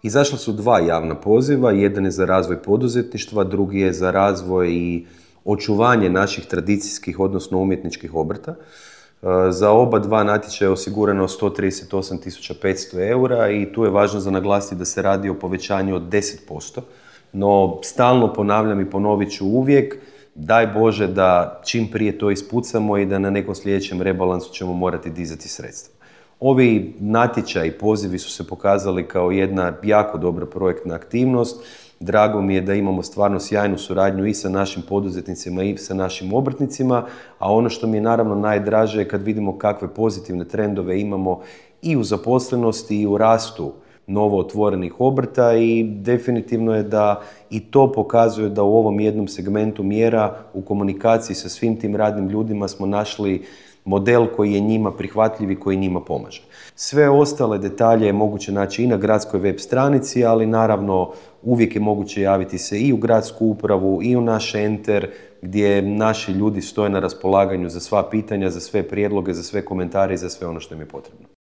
Izašla su 2 javna poziva, jedan je za razvoj poduzetništva, drugi je za razvoj i očuvanje naših tradicijskih, odnosno umjetničkih obrta. Za oba 2 natječaja je osigurano 138.500 eura i tu je važno za naglasiti da se radi o povećanju od 10%. No, stalno ponavljam i ponovit ću uvijek, daj Bože da čim prije to ispucamo i da na nekom sljedećem rebalansu ćemo morati dizati sredstva. Ovi natječaji, pozivi su se pokazali kao jedna jako dobra projektna aktivnost. Drago mi je da imamo stvarno sjajnu suradnju i sa našim poduzetnicima i sa našim obrtnicima, a ono što mi je naravno najdraže je kad vidimo kakve pozitivne trendove imamo i u zaposlenosti i u rastu novo otvorenih obrta i definitivno je da i to pokazuje da u ovom jednom segmentu mjera u komunikaciji sa svim tim radnim ljudima smo našli model koji je njima prihvatljiv i koji njima pomaže. Sve ostale detalje je moguće naći i na gradskoj web stranici, ali naravno uvijek je moguće javiti se i u gradsku upravu i u naš enter gdje naši ljudi stoje na raspolaganju za sva pitanja, za sve prijedloge, za sve komentare i za sve ono što im je potrebno.